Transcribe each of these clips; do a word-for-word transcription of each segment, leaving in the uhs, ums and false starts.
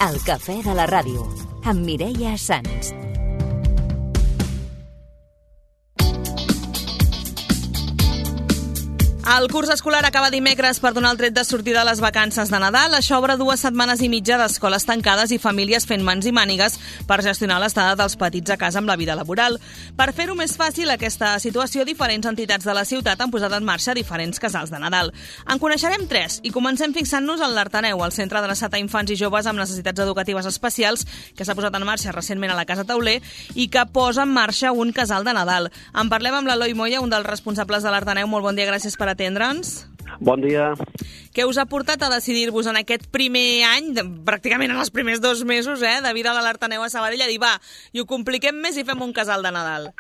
El cafè de la ràdio, amb Mireia Sans. El curs escolar acaba dimecres per donar el tret de sortida a les vacances de Nadal. Això obre dues setmanes i mitja d'escoles tancades i famílies fent mans i mànigues per gestionar l'estada dels petits a casa amb la vida laboral. Per fer-ho més fàcil aquesta situació, diferents entitats de la ciutat han posat en marxa diferents casals de Nadal. En coneixerem tres i comencem fixant-nos en l'Artaneu, el centre adreçat a infants i joves amb necessitats educatives especials, que s'ha posat en marxa recentment a la Casa Tauler i que posa en marxa un casal de Nadal. En parlem amb l'Eloi Moya, un dels responsables de l'Artaneu. Molt bon dia, gràcies per atendre'ns. Bon dia. Què us ha portat a decidir-vos en aquest primer any, pràcticament en els primers dos mesos, eh, de vida de l'Artaneu a Sabadell, a dir, va, i ho compliquem més i fem un casal de Nadal?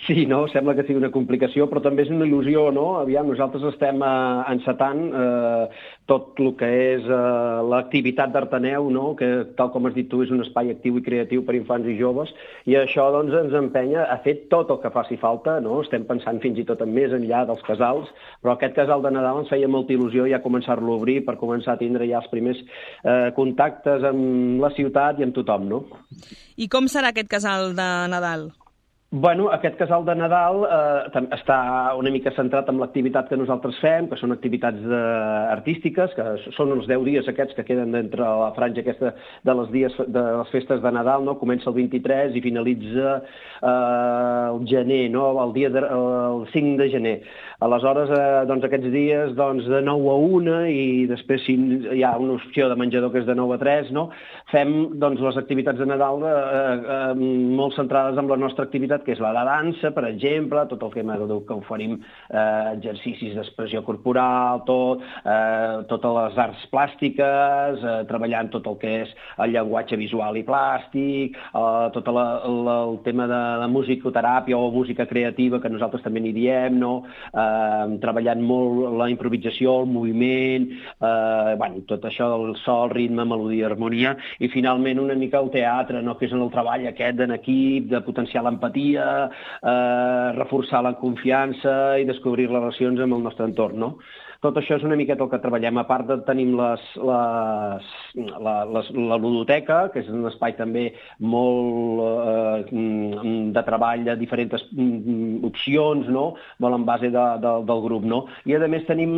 Sí, no? Sembla que sigui una complicació, però també és una il·lusió, no? Aviam, nosaltres estem eh, encetant eh, tot el que és eh, l'activitat d'Artaneu, no? Que, tal com has dit tu, és un espai actiu i creatiu per infants i joves, i això doncs, ens empenya a fer tot el que faci falta, no? Estem pensant fins i tot en més enllà dels casals, però aquest casal de Nadal ens feia molta il·lusió ja començar-lo a obrir per començar a tindre ja els primers eh, contactes amb la ciutat i amb tothom, no? I com serà aquest casal de Nadal? Bueno, aquest casal de Nadal eh, està una mica centrat en l'activitat que nosaltres fem, que són activitats eh, artístiques, que són els deu dies aquests que queden d'entre la franja aquesta de les dies de les festes de Nadal, no? Comença el vint-i-tres i finalitza eh, el gener, no? El dia de, el cinc de gener. Aleshores, eh, doncs aquests dies doncs, de nou a una i després si hi ha una opció de menjador que és de nou a tres, no? Fem doncs, les activitats de Nadal eh, eh, molt centrades en la nostra activitat, que és la de dansa, per exemple, tot el que, que oferim eh, exercicis d'expressió corporal, tot, eh, totes les arts plàstiques, eh, treballant tot el que és el llenguatge visual i plàstic, eh, tot la, la, el tema de la musicoteràpia o música creativa, que nosaltres també n'hi diem, no? Eh, treballant molt la improvisació, el moviment, eh, bueno, tot això del so, el ritme, melodia, harmonia, i finalment una mica el teatre, no? Que és en el treball aquest en equip, de potenciar l'empatia, eh, reforçar la confiança i descobrir les relacions amb el nostre entorn, no? Tot això és una miqueta el que treballem. A part de tenim les, les, la, les, la ludoteca, que és un espai també molt eh, de treball de diferents opcions, no? Molt en base de, de, del grup, no? I a més tenim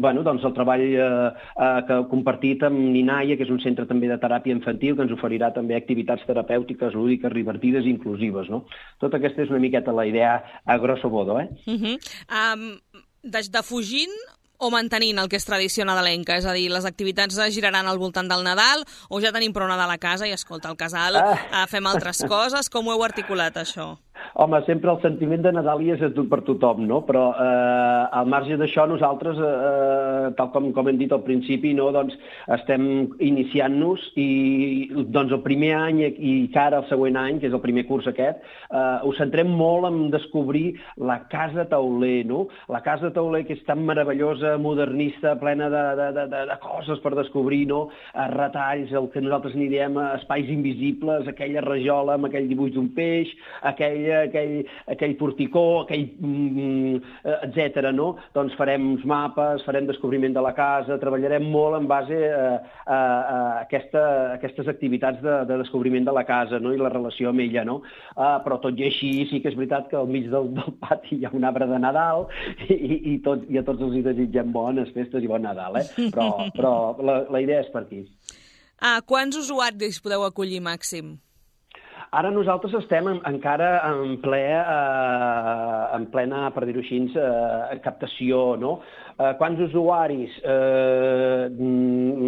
bueno, doncs el treball eh, eh, que compartit amb Ninaia, que és un centre també de teràpia infantil, que ens oferirà també activitats terapèutiques, lúdiques, divertides i inclusives, no? Tota aquesta és una miqueta la idea a grosso modo, eh? Uh-huh. um, de, de fugint o mantenint el que és tradició nadalenca? És a dir, les activitats es giraran al voltant del Nadal o ja tenim prou Nadal a casa i, escolta, al casal ah. fem altres coses? Com ho heu articulat, això? Home, sempre el sentiment de Nadal hi és per tothom, no? Però eh, al marge d'això nosaltres, eh, tal com, com hem dit al principi, no? Doncs estem iniciant-nos i doncs el primer any i cara al següent any, que és el primer curs aquest, eh, ho centrem molt en descobrir la Casa Tauler, no? La Casa Tauler, que és tan meravellosa, modernista, plena de, de, de, de coses per descobrir, no? Retalls, el que nosaltres n'hi diem espais invisibles, aquella rajola amb aquell dibuix d'un peix, aquell aquell, aquell porticó, aquell mm, etcètera, no? Doncs farem uns mapes, farem descobriment de la casa, treballarem molt en base a, a, a aquesta, aquestes activitats de, de descobriment de la casa, no? I la relació amb ella, no? Uh, però tot i així sí que és veritat que al mig del, del pati hi ha un arbre de Nadal i, i, tot, i a tots els hi desitgem bones festes i bon Nadal, eh? Però, però la, la idea és per aquí. Ah, quants usuaris podeu acollir màxim? Ara nosaltres estem en, encara en, ple, eh, en plena, per dir-ho així, eh, captació, no? Eh, quants usuaris? Eh,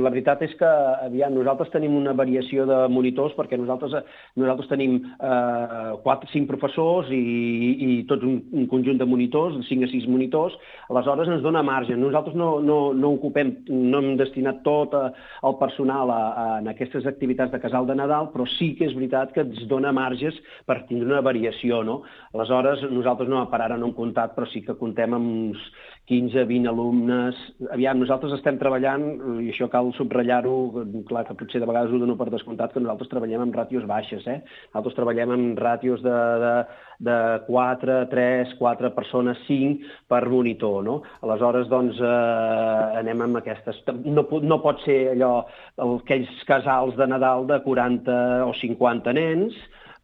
la veritat és que aviam, nosaltres tenim una variació de monitors perquè nosaltres, nosaltres tenim eh, quatre, cinc professors i, i tot un, un conjunt de monitors, cinc a sis monitors, aleshores ens dona marge. Nosaltres no, no, no ocupem, no hem destinat tot el personal a, a, en aquestes activitats de casal de Nadal, però sí que és veritat que ens dona marges per tindre una variació, no? Aleshores, nosaltres no, per ara no hem comptat, però sí que comptem amb uns quinze a vint alumnes... Aviam, nosaltres estem treballant, i això cal subratllar-ho, clar que potser de vegades ho dono per descomptat, que nosaltres treballem amb ràtios baixes, eh? Nosaltres treballem amb ràtios de, de, de quatre, tres, quatre persones, cinc per monitor, no? Aleshores, doncs, eh, anem amb aquestes... No, no pot ser allò, aquells casals de Nadal de quaranta o cinquanta nens,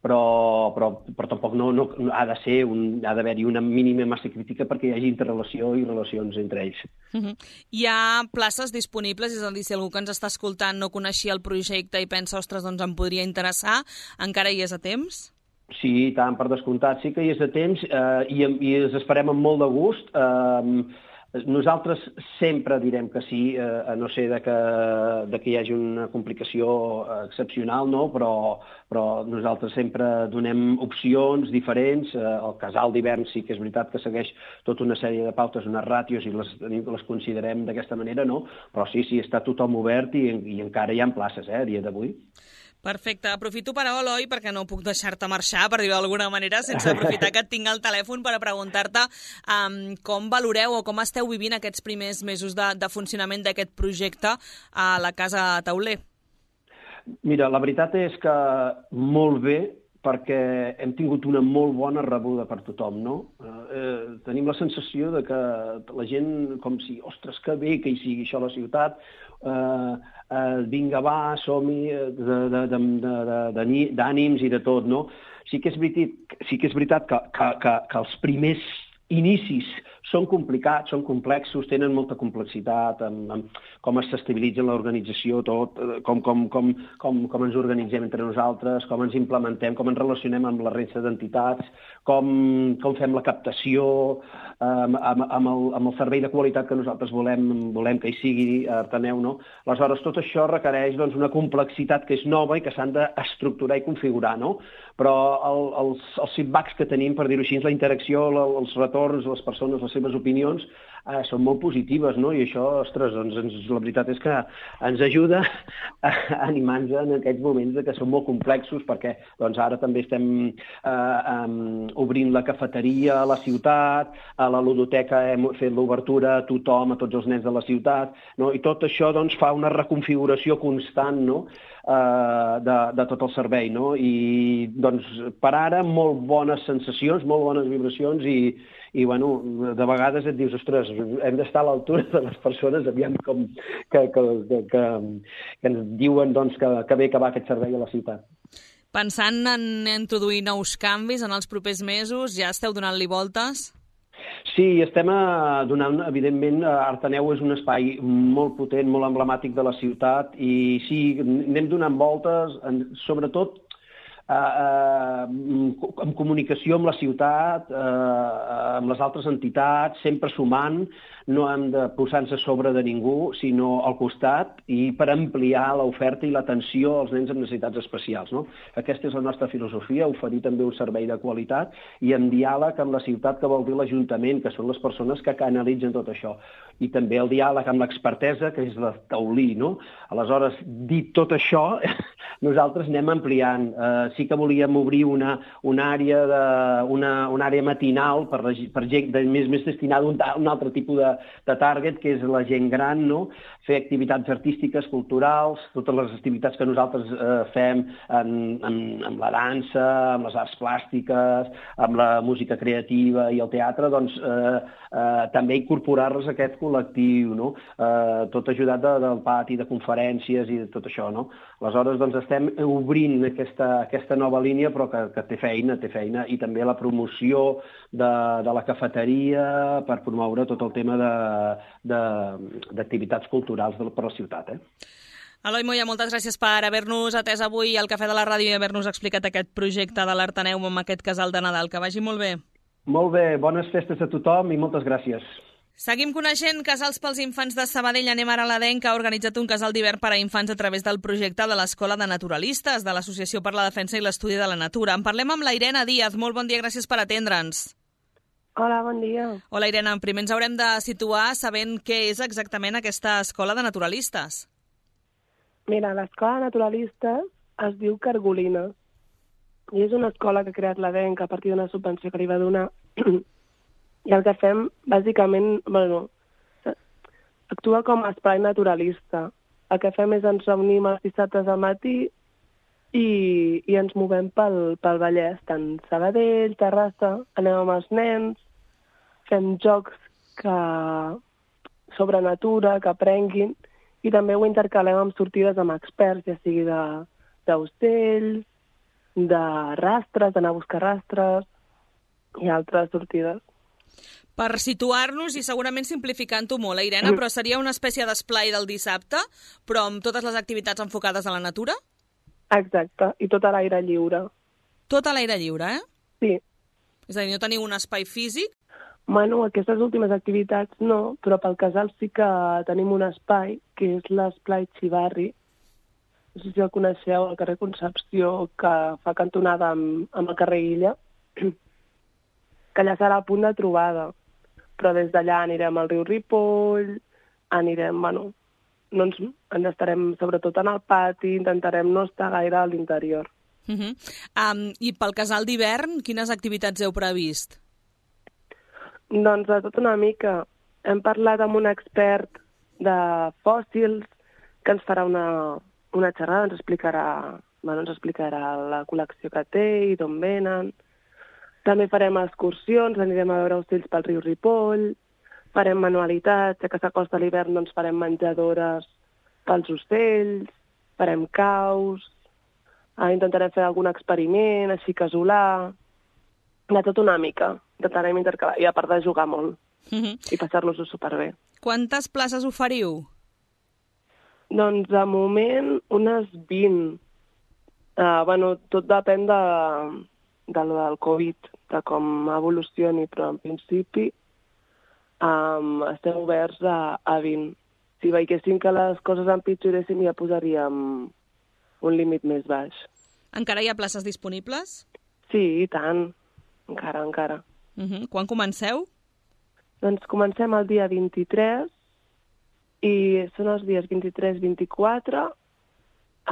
però, però, però tampoc no, no ha de ser un, ha d'haver-hi una mínima massa crítica perquè hi hagi interrelació i relacions entre ells. Uh-huh. Hi ha places disponibles, és a dir, si algú que ens està escoltant no coneixia el projecte i pensa, ostres, doncs em podria interessar, encara hi és a temps? Sí, tant, per descomptat, sí que hi és a temps eh, i, i els esperem amb molt de gust. Eh, Nosaltres sempre direm que sí, eh, a no ser de que, de que hi hagi una complicació excepcional, no? però, però nosaltres sempre donem opcions diferents. Eh, el casal d'hivern sí que és veritat que segueix tota una sèrie de pautes, unes ràtios, i les, les considerem d'aquesta manera, no? Però sí, sí, està tothom obert i, i encara hi ha places, eh, a dia d'avui. Perfecte. Aprofito per a Eloi, perquè no puc deixar-te marxar, per dir-ho d'alguna manera, sense aprofitar que et tinc al telèfon per a preguntar-te um, com valoreu o com esteu vivint aquests primers mesos de, de funcionament d'aquest projecte a la Casa Tauler. Mira, la veritat és que molt bé, perquè hem tingut una molt bona rebuda per tothom, no? Eh, tenim la sensació de que la gent, com si, ostres, que bé que hi sigui això a la ciutat, eh, eh, vinga, va, som-hi, d'ànims i de tot, no? Sí que és veritat, sí que, és veritat que, que, que, que els primers inicis són complicats, són complexos, tenen molta complexitat, amb, amb com s'estabilitza l'organització, tot, com, com, com, com, com ens organitzem entre nosaltres, com ens implementem, com ens relacionem amb la resta d'entitats, com, com fem la captació, amb, amb, amb, el, amb el servei de qualitat que nosaltres volem, volem que hi sigui a Artaneu, no? Aleshores, tot això requereix doncs, una complexitat que és nova i que s'han d'estructurar i configurar, no? Però el, els, els feedbacks que tenim, per dir-ho així, la interacció, els retorns, les persones, les seves opinions, eh, són molt positives, no? I això, ostres, doncs, ens, la veritat és que ens ajuda a animar-nos en aquests moments de que són molt complexos, perquè doncs, ara també estem eh, um, obrint la cafeteria a la ciutat, a la ludoteca hem fet l'obertura a tothom, a tots els nens de la ciutat, no? I tot això doncs, fa una reconfiguració constant, no? Uh, de, de tot el servei, no? I doncs per ara molt bones sensacions, molt bones vibracions i, i bueno, de vegades et dius, ostres, hem d'estar a l'altura de les persones, aviam com que, que, que, que, que ens diuen doncs, que, que bé que va aquest servei a la ciutat. Pensant en introduir nous canvis en els propers mesos, ja esteu donant-li voltes? Sí, estem donant, evidentment, Artaneu és un espai molt potent, molt emblemàtic de la ciutat i sí, anem donant voltes, sobretot eh, eh, en comunicació amb la ciutat, eh, amb les altres entitats, sempre sumant, no hem de posar-nos a sobre de ningú, sinó al costat i per ampliar l'oferta i l'atenció als nens amb necessitats especials, no? Aquesta és la nostra filosofia, oferir també un servei de qualitat i en diàleg amb la ciutat, que vol dir l'Ajuntament, que són les persones que canalitzen tot això. I també el diàleg amb l'expertesa, que és la Taulí, no? Aleshores, dit tot això, nosaltres anem ampliant. Uh, sí que volíem obrir una, una, àrea, de, una, una àrea matinal per, per gent de, més, més destinada a un, un altre tipus de, de target, que és la gent gran, no? Fer activitats artístiques, culturals, totes les activitats que nosaltres eh, fem en, en, en la dansa, amb les arts plàstiques, amb la música creativa i el teatre, doncs eh, eh, també incorporar-les a aquest col·lectiu, no? Eh, tot ajudat de, del pati, de conferències i de tot això, no? Aleshores, doncs, estem obrint aquesta, aquesta nova línia, però que, que té feina, té feina, i també la promoció de, de la cafeteria per promoure tot el tema d'activitats culturals de, per la ciutat. Eh? Eloi Moya, moltes gràcies per haver-nos atès avui al Cafè de la Ràdio i haver-nos explicat aquest projecte de l'Artaneu amb aquest casal de Nadal. Que vagi molt bé. Molt bé, bones festes a tothom i moltes gràcies. Seguim coneixent Casals pels Infants de Sabadell. Anem ara a l'Adenc, que ha organitzat un casal d'hivern per a infants a través del projecte de l'Escola de Naturalistes, de l'Associació per la Defensa i l'Estudi de la Natura. En parlem amb la Irene Díaz. Molt bon dia, gràcies per atendre'ns. Hola, bon dia. Hola, Irene. Primer ens haurem de situar sabent què és exactament aquesta Escola de Naturalistes. Mira, l'Escola de Naturalistes es diu Cargolina i és una escola que ha creat l'Adenc a partir d'una subvenció que li va donar. I el que fem, bàsicament, bueno, actua com a espai naturalista. El que fem és ens reunim els dissabtes al matí i, i ens movem pel, pel Vallès, tant Sabadell, Terrassa, anem amb els nens, fem jocs que, sobre natura, que aprenguin, i també ho intercalem amb sortides amb experts, ja sigui d'ocells, de, de rastres, d'anar a buscar rastres i altres sortides. Per situar-nos, i segurament simplificant-ho molt, eh, Irene, però seria una espècie d'esplai del dissabte, però amb totes les activitats enfocades a la natura? Exacte, i tot a l'aire lliure. Tot a l'aire lliure, eh? Sí. És a dir, no teniu un espai físic? Bueno, aquestes últimes activitats no, però pel casal sí que tenim un espai, que és l'esplai Xivarri. No sé si el coneixeu, al carrer Concepció, que fa cantonada amb, amb el carrer Illa, que allà serà el punt de trobada. Però des d'allà anirem al riu Ripoll, anirem, bueno, no ens, ens estarem sobretot en el pati, intentarem no estar gaire a l'interior. Uh -huh. um, I pel casal d'hivern, quines activitats heu previst? Doncs de tot una mica. Hem parlat amb un expert de fòssils que ens farà una, una xerrada, ens explicarà, bueno, ens explicarà la col·lecció que té i d'on venen. També farem excursions, anirem a veure ocells pel riu Ripoll, farem manualitats, ja que s'acosta l'hivern doncs farem menjadores pels ocells, farem caus, eh, intentarem fer algun experiment, així casolà, de tot una mica, intentarem intercalar, i a part de jugar molt, Uh-huh. i passar-nos-ho superbé. Quantes places oferiu? Doncs, de moment, unes vint. Uh, bueno, tot depèn de, de lo del Covid, de com evolucioni, però en principi um, estem oberts a, a vint. Si veiéssim que les coses empitjoressin, ja posaríem un límit més baix. Encara hi ha places disponibles? Sí, i tant. Encara, encara. Uh-huh. Quan comenceu? Doncs comencem el dia vint-i-tres i són els dies vint-i-tres vint-i-quatre,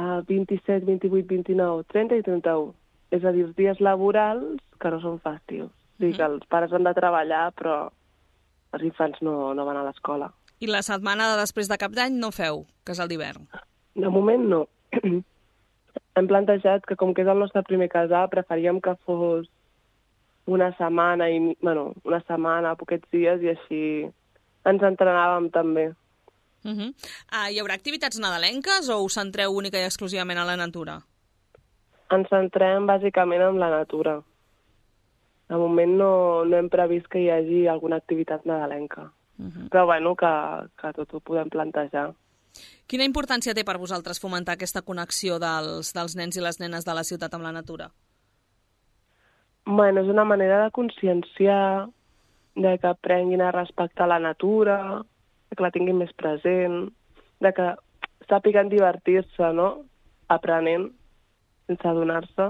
el vint-i-set, vint-i-vuit, vint-i-nou, trenta i trenta-u. És a dir, els dies laborals que no són festius. O sigui que els pares han de treballar, però els infants no, no van a l'escola. I la setmana de després de Cap d'Any no feu casal d'hivern? De moment no. Hem plantejat que, com que és el nostre primer casal, preferíem que fos una setmana, i, bueno, una setmana, poquets dies, i així ens entrenàvem també. Uh-huh. uh, hi haurà activitats nadalenques o us centreu única i exclusivament a la natura? Ens centrem bàsicament en la natura. De moment no, no hem previst que hi hagi alguna activitat nadalenca. Uh-huh. Però bueno, que, que tot ho podem plantejar. Quina importància té per vosaltres fomentar aquesta connexió dels, dels nens i les nenes de la ciutat amb la natura? Bueno, és una manera de conscienciar, de que aprenguin a respectar la natura, de que la tinguin més present, de que sàpiguen divertir-se, no?, aprenent, sense adonar-se.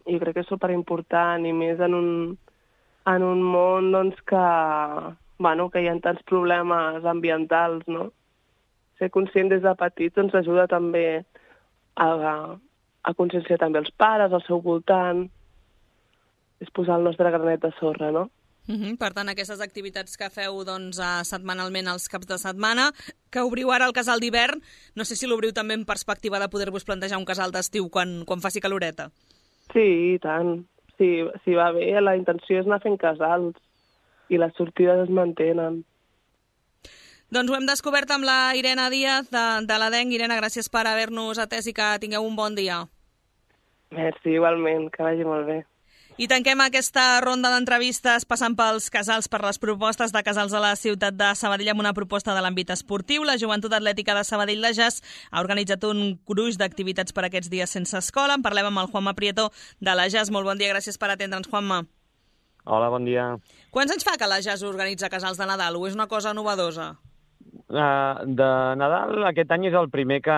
I crec que és superimportant, i més en un, en un món doncs, que, bueno, que hi ha tants problemes ambientals, no? Ser conscient des de petits ens ajuda també a, a conscienciar també els pares, al seu voltant. És posar el nostre granet de sorra, no? Uh-huh. Per tant, aquestes activitats que feu doncs, setmanalment als caps de setmana, que obriu ara el casal d'hivern, no sé si l'obriu també en perspectiva de poder-vos plantejar un casal d'estiu quan, quan faci caloreta. Sí, i tant. Si, si va bé, la intenció és anar fent casals i les sortides es mantenen. Doncs ho hem descobert amb la Irene Díaz de, de l'Adenc. Irene, gràcies per haver-nos atès i que tingueu un bon dia. Merci, igualment, que vagi molt bé. I tanquem aquesta ronda d'entrevistes passant pels casals, per les propostes de casals a la ciutat de Sabadell amb una proposta de l'àmbit esportiu. La Joventut Atlètica de Sabadell de Jas ha organitzat un gruix d'activitats per aquests dies sense escola. En parlem amb el Juanma Prieto de la Jas. Molt bon dia, gràcies per atendre'ns, Juanma. Hola, bon dia. Quants anys fa que la Jas organitza casals de Nadal o és una cosa novedosa? Uh, de Nadal aquest any és el primer que,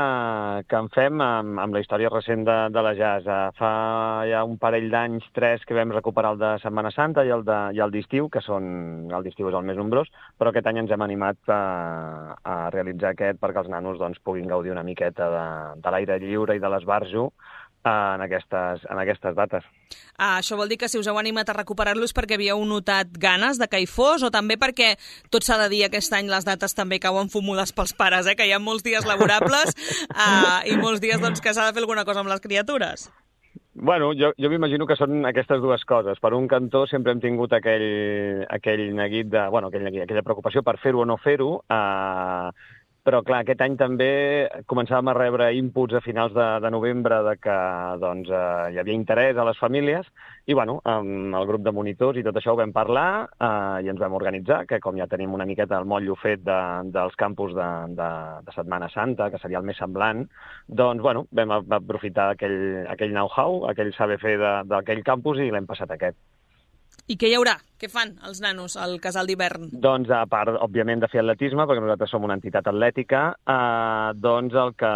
que en fem amb, amb la història recent de, de la Jas. Uh, fa ja un parell d'anys, tres, que vam recuperar el de Setmana Santa i el de, i el d'estiu, que són, el d'estiu és el més nombrós, però aquest any ens hem animat a, a realitzar aquest perquè els nanos doncs, puguin gaudir una miqueta de, de l'aire lliure i de l'esbarjo en aquestes, en aquestes dates. Ah, això vol dir que si us heu animat a recuperar-los perquè havíeu notat ganes de que hi fos, o també perquè tot s'ha de dir aquest any les dates també cauen fumudes pels pares, eh? Que hi ha molts dies laborables ah, i molts dies doncs, que s'ha de fer alguna cosa amb les criatures. Bueno, jo, jo m'imagino que són aquestes dues coses. Per un cantó sempre hem tingut aquell, aquell neguit de... Bueno, aquell neguit, aquella preocupació per fer-ho o no fer-ho, eh, però, clar, aquest any també començàvem a rebre inputs a finals de, de novembre de que doncs, eh, hi havia interès a les famílies i, bueno, amb el grup de monitors i tot això ho vam parlar eh, i ens vam organitzar, que com ja tenim una miqueta el motllo fet de, dels campus de, de, de Setmana Santa, que seria el més semblant, doncs, bueno, vam aprofitar aquell, aquell know-how, aquell saber fer d'aquell campus i l'hem passat a aquest. I què hi haurà? Què fan els nanos al casal d'hivern? Doncs, a part, òbviament, de fer atletisme, perquè nosaltres som una entitat atlètica, eh, doncs el que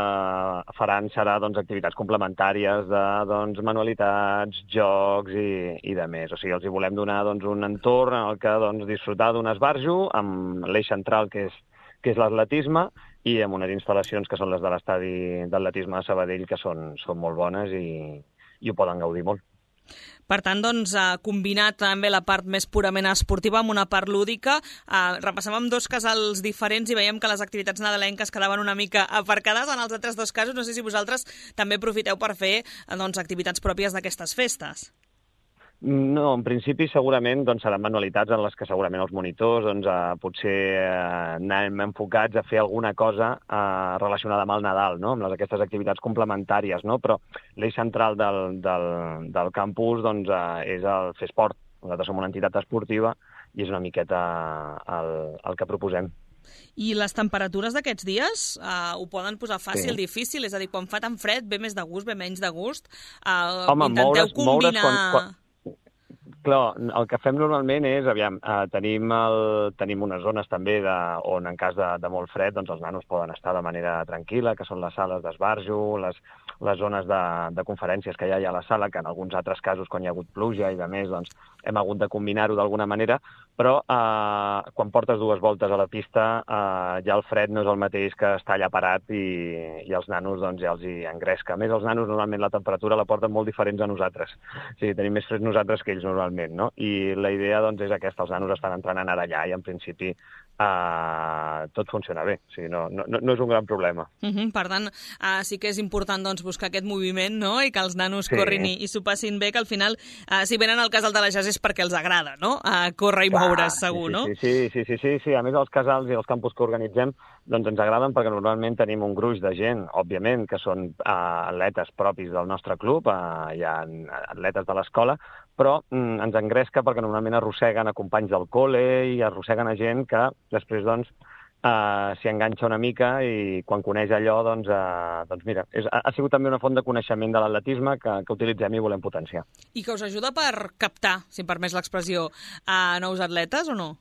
faran serà doncs, activitats complementàries de doncs, manualitats, jocs i, i de més. O sigui, els hi volem donar doncs, un entorn en el que doncs, disfrutar d'un esbarjo amb l'eix central, que és, que és l'atletisme, i amb unes instal·lacions que són les de l'estadi d'atletisme de Sabadell, que són, són molt bones i, i ho poden gaudir molt. Per tant, doncs, ha combinat també la part més purament esportiva amb una part lúdica. Eh, repassàvem dos casals diferents i veiem que les activitats nadalenques quedaven una mica aparcades. En els altres dos casos, no sé si vosaltres també aprofiteu per fer doncs, activitats pròpies d'aquestes festes. No, en principi segurament doncs, seran manualitats en les que segurament els monitors doncs, eh, potser eh, anem enfocats a fer alguna cosa eh, relacionada amb el Nadal, no? Amb les, aquestes activitats complementàries, no? Però l'eix central del, del, del campus doncs, eh, és el fer esport. Nosaltres som una entitat esportiva i és una miqueta el, el que proposem. I les temperatures d'aquests dies uh, ho poden posar fàcil, sí. Difícil? És a dir, quan fa tan fred, ve més de gust, ve menys de gust? Uh, Home, intenteu moure's, combinar... Moure's quan, quan... Clar, el que fem normalment és, aviam, eh, tenim, el, tenim unes zones també de, on en cas de, de molt fred doncs els nanos poden estar de manera tranquil·la, que són les sales d'esbarjo, les, les zones de, de conferències que ja hi ha a la sala, que en alguns altres casos, quan hi ha hagut pluja i de més, doncs hem hagut de combinar-ho d'alguna manera, però eh, quan portes dues voltes a la pista eh, ja el fred no és el mateix que estar allà parat i, i els nanos doncs, ja els hi engresca. A més, els nanos normalment la temperatura la porten molt diferents a nosaltres. O sigui, tenim més fred nosaltres que ells normalment. No? I la idea doncs, és aquesta, els nanos estan entrenant ara allà i en principi eh, tot funciona bé, o sigui, no, no, no és un gran problema. Uh-huh. Per tant, uh, sí que és important doncs, buscar aquest moviment, no? I que els nanos sí. corrin i, i s'ho passin bé, que al final, uh, si venen al casal de la Jazz és perquè els agrada, no? Uh, córrer i Clar, moure's, segur, sí, sí, no? Sí sí, sí, sí, sí, sí. A més, els casals i els campus que organitzem doncs ens agraden perquè normalment tenim un gruix de gent, òbviament, que són uh, atletes propis del nostre club, uh, hi ha atletes de l'escola, però mm, ens engresca perquè normalment arrosseguen a companys del col·le i arrosseguen a gent que després doncs, eh, s'hi enganxa una mica i quan coneix allò, doncs, eh, doncs mira, és, ha sigut també una font de coneixement de l'atletisme que, que utilitzem i volem potenciar. I que us ajuda per captar, si em permès l'expressió, a nous atletes o no?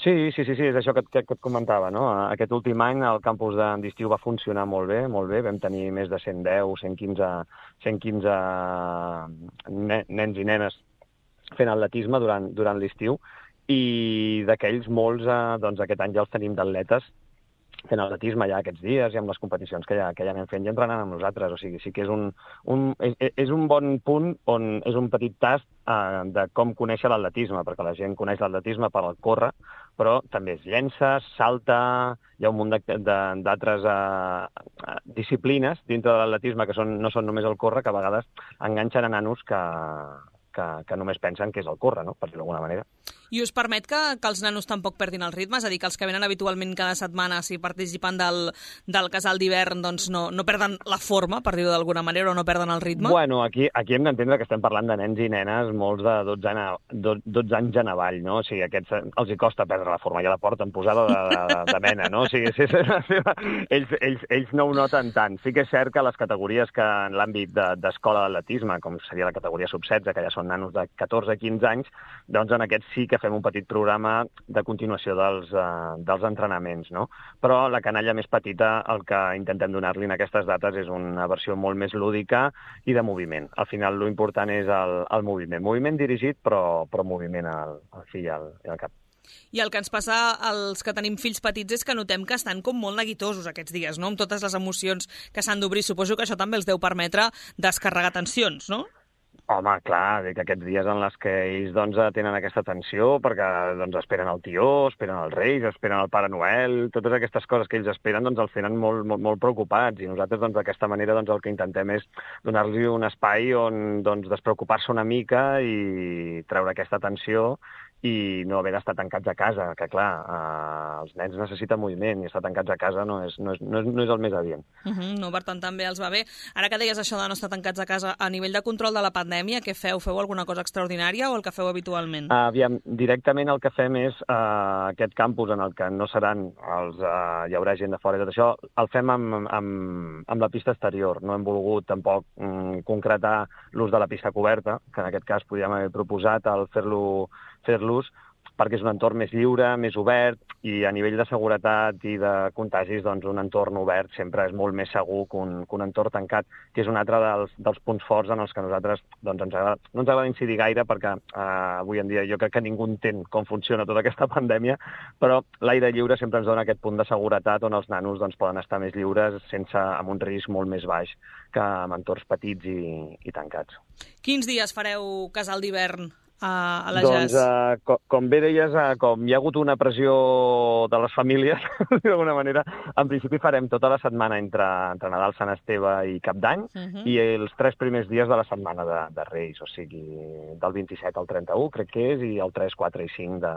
Sí, sí, sí, sí, és això que, que, que et comentava, no? Aquest últim any el campus d'estiu va funcionar molt bé, molt bé, vam tenir més de cent deu, cent quinze, cent quinze nens i nenes fent atletisme durant, durant l'estiu i d'aquells molts, eh, doncs aquest any ja els tenim d'atletes fent atletisme ja aquests dies i amb les competicions que ja, que ja anem fent i entrenant amb nosaltres. O sigui, sí que és un, un, és, és un bon punt on és un petit tast eh, de com conèixer l'atletisme, perquè la gent coneix l'atletisme per al córrer, però també es llença, salta, hi ha un munt d'altres eh, disciplines dintre de l'atletisme que són, no són només el córrer, que a vegades enganxen a nanos que, que, que només pensen que és el córrer, no? Per dir-ho d'alguna manera. I us permet que, que els nanos tampoc perdin el ritme? És a dir, que els que venen habitualment cada setmana, si participen del, del casal d'hivern, doncs no, no perden la forma, per dir-ho d'alguna manera, o no perden el ritme? Bueno, aquí, aquí hem d'entendre que estem parlant de nens i nenes, molts de dotze, ana, dotze anys en avall, no? O sigui, aquests els hi costa perdre la forma, ja la porten posada de, de, de mena, no? O sigui, sí, sí, sí, ells, ells, ells no ho noten tant. Sí que és cert que les categories que en l'àmbit d'escola d'atletisme, com seria la categoria sub setze, que ja són nanos de catorze a quinze anys, doncs en aquests sí que fem un petit programa de continuació dels, uh, dels entrenaments, no? Però la canalla més petita, el que intentem donar-li en aquestes dates és una versió molt més lúdica i de moviment. Al final, l'important és el, el moviment. Moviment dirigit, però, però moviment al, al fi i al, i al cap. I el que ens passa als que tenim fills petits és que notem que estan com molt neguitosos aquests dies, no? Amb totes les emocions que s'han d'obrir. Suposo que això també els deu permetre descarregar tensions, no? Home, clar, que aquests dies en les que ells doncs, tenen aquesta tensió perquè doncs, esperen el tió, esperen els Reis, esperen el Pare Noel, totes aquestes coses que ells esperen doncs, els tenen molt, molt, molt preocupats i nosaltres doncs, d'aquesta manera doncs, el que intentem és donar-los un espai on doncs, despreocupar-se una mica i treure aquesta tensió i no haver d'estar tancats a casa, que clar, eh, els nens necessiten moviment i estar tancats a casa no és, no és, no és, no és el més adient. Uh -huh, no, per tant, també els va bé. Ara que deies això de no estar tancats a casa, a nivell de control de la pandèmia, què feu? Feu alguna cosa extraordinària o el que feu habitualment? Uh, aviam, directament el que fem és uh, aquest campus en el que no seran els, uh, hi haurà gent de fora i tot això, el fem amb, amb, amb la pista exterior. No hem volgut tampoc um, concretar l'ús de la pista coberta, que en aquest cas podríem haver proposat el fer-lo fer-los perquè és un entorn més lliure, més obert, i a nivell de seguretat i de contagis, doncs un entorn obert sempre és molt més segur que un, que un entorn tancat, que és un altre dels, dels punts forts en els que nosaltres doncs, ens agrada, no ens agrada incidir gaire perquè eh, avui en dia jo crec que ningú entén com funciona tota aquesta pandèmia, però l'aire lliure sempre ens dona aquest punt de seguretat on els nanos doncs, poden estar més lliures sense amb un risc molt més baix que en entorns petits i, i tancats. Quins dies fareu casal d'hivern a la doncs, Jazz? Uh, com, com bé deies, uh, com hi ha hagut una pressió de les famílies, d'alguna manera, en principi farem tota la setmana entre, entre Nadal, Sant Esteve i Cap d'Any, uh -huh. i els tres primers dies de la setmana de, de Reis, o sigui, del vint-i-set al trenta-u, crec que és, i el tres, quatre i cinc de,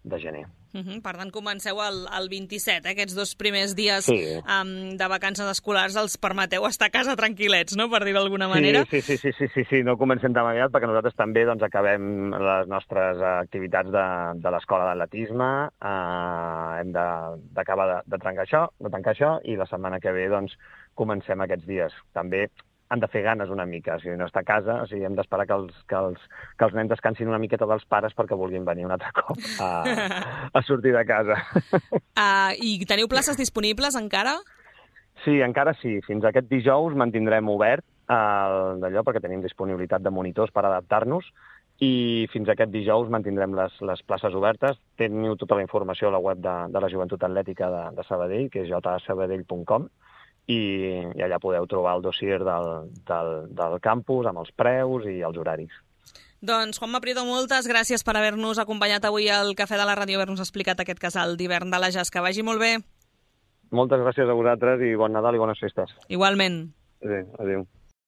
de gener. Uh -huh. Per tant, comenceu el, el vint-i-set, eh? Aquests dos primers dies sí. um, de vacances escolars els permeteu estar a casa tranquil·lets, no?, per dir-ho d'alguna manera. Sí, sí, sí, sí, sí, sí, no comencem tan aviat perquè nosaltres també doncs, acabem les nostres activitats de, de l'escola d'atletisme, eh, hem d'acabar de, de, de trencar això, de tancar això, i la setmana que ve doncs, comencem aquests dies. També han de fer ganes una mica, o sigui, no està a casa, o sigui, hem d'esperar que els, que, els, que els nens descansin una miqueta dels pares perquè vulguin venir un altre cop a, a sortir de casa. Uh, I teniu places disponibles encara? Sí, encara sí. Fins aquest dijous mantindrem obert uh, d'allò perquè tenim disponibilitat de monitors per adaptar-nos i fins aquest dijous mantindrem les, les places obertes. Teniu tota la informació a la web de, de la Joventut Atlètica de, de Sabadell, que és j a sabadell punt com, i, i allà podeu trobar el dossier del, del, del campus amb els preus i els horaris. Doncs, Juanma Prieto, moltes gràcies per haver-nos acompanyat avui al Cafè de la Ràdio, haver-nos explicat aquest casal d'hivern de la Jazz. Que vagi molt bé. Moltes gràcies a vosaltres i bon Nadal i bones festes. Igualment. Adéu. Adéu.